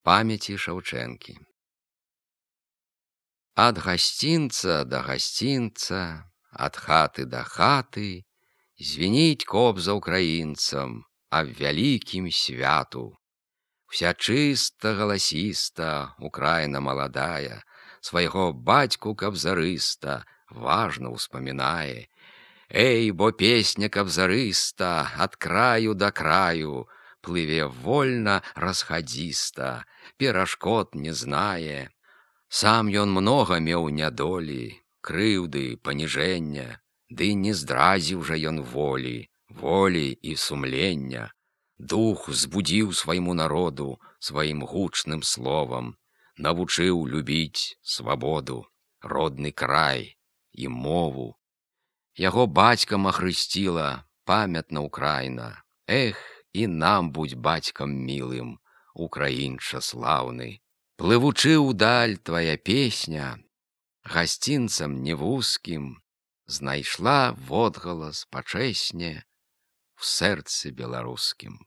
Памяці Шаўчэнкі. Ад гасцінца да гасцінца, ад хаты да хаты звініць кобза ўкраінцам аб вялікім святу. Вся чыста галасіста Украіна маладая свайго бацьку кабзарыста важна ўспамінае. Эй, бо песня кабзарыста ад краю да краю плыве вольна расхадзіста, перашкод не знае. Сам ён многа меў нядолі, крыўды, паніжэння, ды не здразіў жа ён волі і сумлення. Дух збудзіў свайму народу сваім гучным словам, навучыў любіць свабоду, родны край і мову. Яго бацькам ахрысціла памятна Украіна. Эх, і нам будь бацькам мілым, украінча слаўны. Плывучы ўдаль твая песня, гасцінцам невузкім, знайшла водгалас пачэсне ў сэрцы беларускім.